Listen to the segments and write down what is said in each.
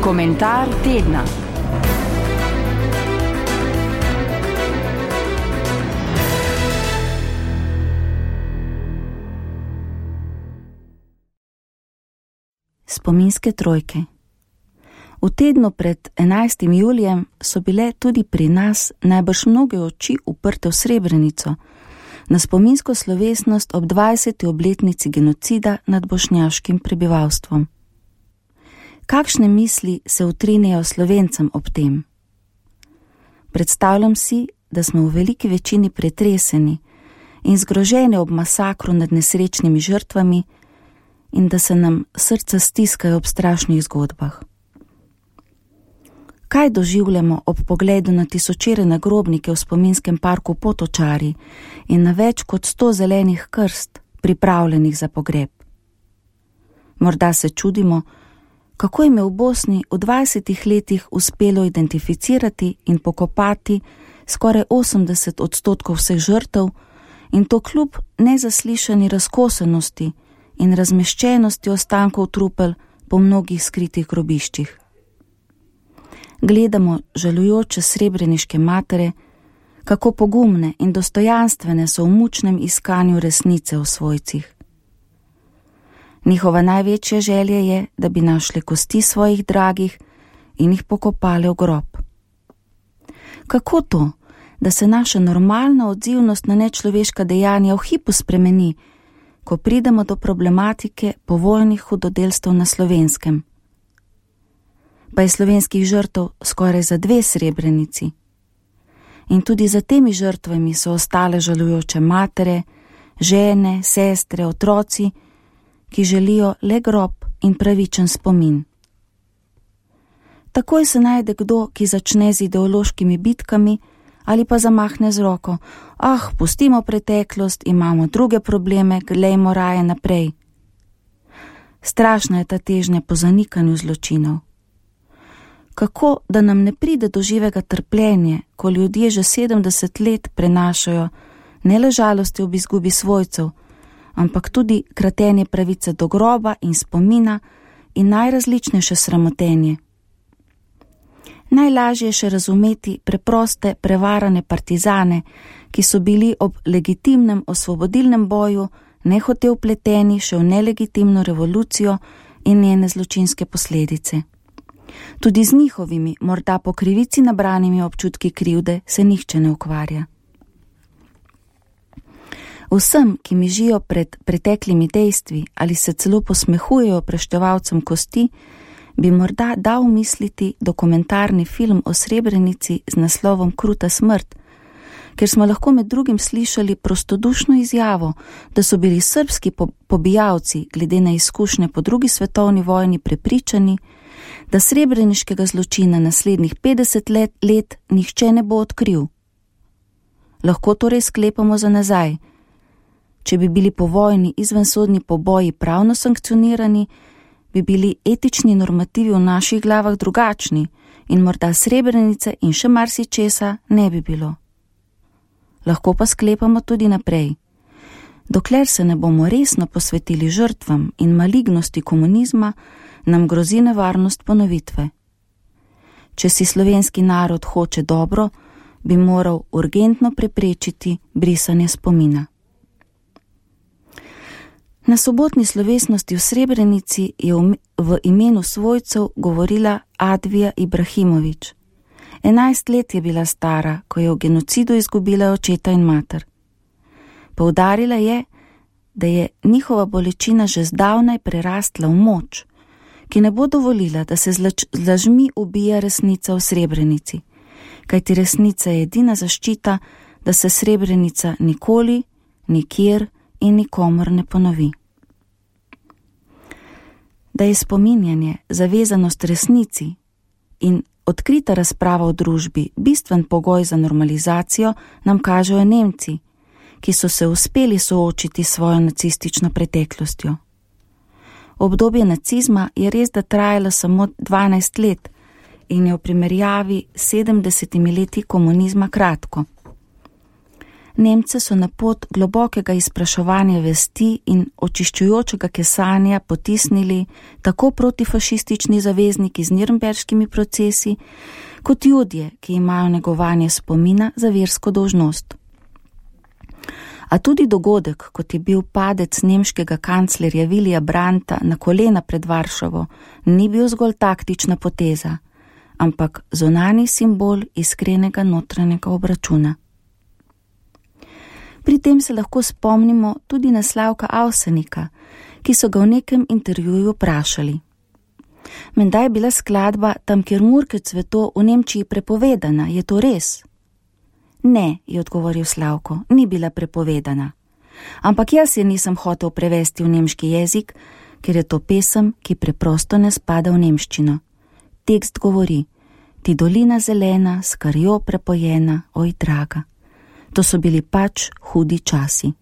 Komentar tedna. Spominske trojke. V tednu pred 11. julijem so bile tudi pri nas najbrž mnoge oči uprte v Srebrenico, na spominsko slovesnost ob 20. obletnici genocida nad bošnjaškim prebivalstvom. Kakšne misli se utrinejo Slovencem ob tem? Predstavljam si, da smo v veliki večini pretreseni in zgroženi ob masakru nad nesrečnimi žrtvami in da se nam srca stiskajo ob strašnih zgodbah. Kaj doživljamo ob pogledu na tisočere nagrobnike v spominskem parku Potočari in na več kot 100 zelenih krst, pripravljenih za pogreb? Morda se čudimo, kako jim je v Bosni v 20 letih uspelo identificirati in pokopati skoraj 80% vseh žrtev in to kljub nezaslišani razkosenosti in razmeščenosti ostankov trupel po mnogih skritih grobiščih. Gledamo žalujoče srebreniške matere, kako pogumne in dostojanstvene so v mučnem iskanju resnice v svojcih. Njihova največja želja je, da bi našli kosti svojih dragih in jih pokopali v grob. Kako to, da se naša normalna odzivnost na nečloveška dejanja v hipu spremeni, ko pridemo do problematike povojnih hudodelstev na Slovenskem? Pa je slovenskih žrtev skoraj za 2 Srebrenici. In tudi za temi žrtvami so ostale žalujoče matere, žene, sestre, otroci, ki želijo le grob in pravičen spomin. Takoj se najde kdo, ki začne z ideološkimi bitkami ali pa zamahne z roko: pustimo preteklost, imamo druge probleme, glejmo raje naprej. Strašna je ta težnja po zanikanju zločinov. Kako, da nam ne pride do živega trpljenja, ko ljudje že 70 let prenašajo ne le žalosti ob izgubi svojcev, ampak tudi kratenje pravice do groba in spomina in najrazličnejše sramotenje. Najlažje je še razumeti preproste, prevarane partizane, ki so bili ob legitimnem osvobodilnem boju nehote vpleteni še v nelegitimno revolucijo in njene zločinske posledice. Tudi z njihovimi, morda po krivici nabranimi občutki krivde, se nihče ne ukvarja. Vsem, ki mižijo pred preteklimi dejstvi ali se celo posmehujejo preštevalcem kosti, bi morda dal misliti dokumentarni film o Srebrenici z naslovom Kruta smrt, ker smo lahko med drugim slišali prostodušno izjavo, da so bili srbski pobijalci glede na izkušnje po 2. svetovni vojni prepričani, da srebreniškega zločina naslednjih 50 let nihče ne bo odkril. Lahko torej sklepamo za nazaj: če bi bili po vojni izvensodni poboji pravno sankcionirani, bi bili etični normativi v naših glavah drugačni in morda Srebrenice in še marsičesa ne bi bilo. Lahko pa sklepamo tudi naprej: dokler se ne bomo resno posvetili žrtvam in malignosti komunizma, nam grozi nevarnost ponovitve. Če si slovenski narod hoče dobro, bi moral urgentno preprečiti brisanje spomina. Na sobotni slovesnosti v Srebrenici je v imenu svojcev govorila Advija Ibrahimović. 11 let je bila stara, ko je v genocidu izgubila očeta in mater. Poudarila je, da je njihova bolečina že zdavnaj prerastla v moč, ki ne bo dovolila, da se z lažmi ubija resnica v Srebrenici, kajti resnica je edina zaščita, da se Srebrenica nikoli, nikjer in nikomor ne ponovi. Da je spominjanje, zavezanost resnici in odkrita razprava v družbi bistven pogoj za normalizacijo, nam kažejo Nemci, ki so se uspeli soočiti s svojo nacistično preteklostjo. Obdobje nacizma je res da trajalo samo 12 let in je v primerjavi s 70 leti komunizma kratko. Nemce so na pot globokega izpraševanja vesti in očiščujočega kesanja potisnili tako protifašistični zavezniki z nirnberškimi procesi, kot Judje, ki imajo negovanje spomina za versko dolžnost. A tudi dogodek, kot je bil padec nemškega kanclerja Willija Brandta na kolena pred Varšavo, ni bil zgolj taktična poteza, ampak zunanji simbol iskrenega notranjega obračuna. Pri tem se lahko spomnimo tudi na Slavka Avsenika, ki so ga v nekem intervjuju vprašali. Menda je bila skladba Tam, kjer Murke cveto v Nemčiji prepovedana, je to res? Ne, je odgovoril Slavko, ni bila prepovedana. Ampak jaz je nisem hotel prevesti v nemški jezik, ker je to pesem, ki preprosto ne spada v nemščino. Tekst govori: ti dolina zelena, s krvjo prepojena, oj draga. To so bili pač hudi časi.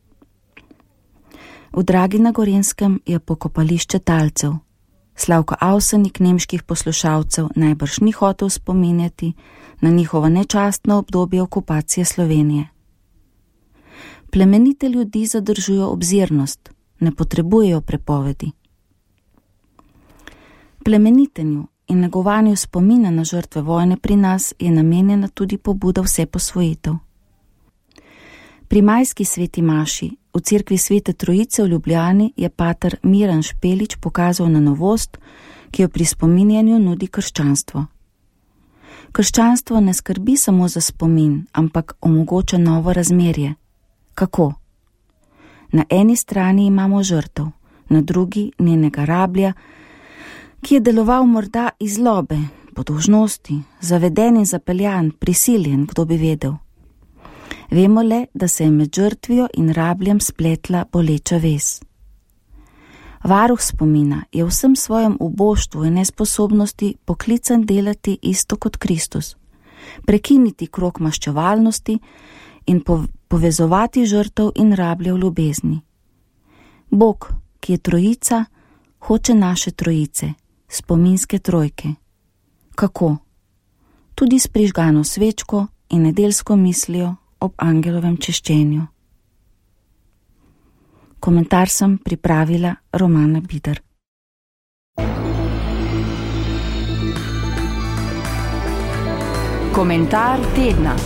V Dragi na Gorenjskem je pokopališče talcev. Slavko Avsenik nemških poslušalcev najbrž ni hotel spominjati na njihovo nečastno obdobje okupacije Slovenije. Plemenite ljudi zadržujo obzirnost, ne potrebujejo prepovedi. Plemenitenju in negovanju spomina na žrtve vojne pri nas je namenjena tudi pobuda vseposvojitev. Pri majski sveti maši v cerkvi Svete Trojice v Ljubljani je pater Miran Špelič pokazal na novost, ki jo pri spominjanju nudi krščanstvo. Krščanstvo ne skrbi samo za spomin, ampak omogoča novo razmerje. Kako? Na eni strani imamo žrtev, na drugi njenega rablja, ki je deloval morda iz zlobe, po dolžnosti, zaveden in zapeljan, prisiljen, kdo bi vedel. Vemo le, da se je med žrtvijo in rabljem spletla boleča vez. Varuh spomina je v vsem svojem uboštvu in nesposobnosti poklican delati isto kot Kristus, prekiniti krog maščevalnosti in povezovati žrtev in rablje v ljubezni. Bog, ki je trojica, hoče naše trojice, spominske trojke. Kako? Tudi s prižgano svečko in nedeljsko mislijo ob angelovem češčenju. Komentar sem pripravila Romana Bider. Komentar tedna.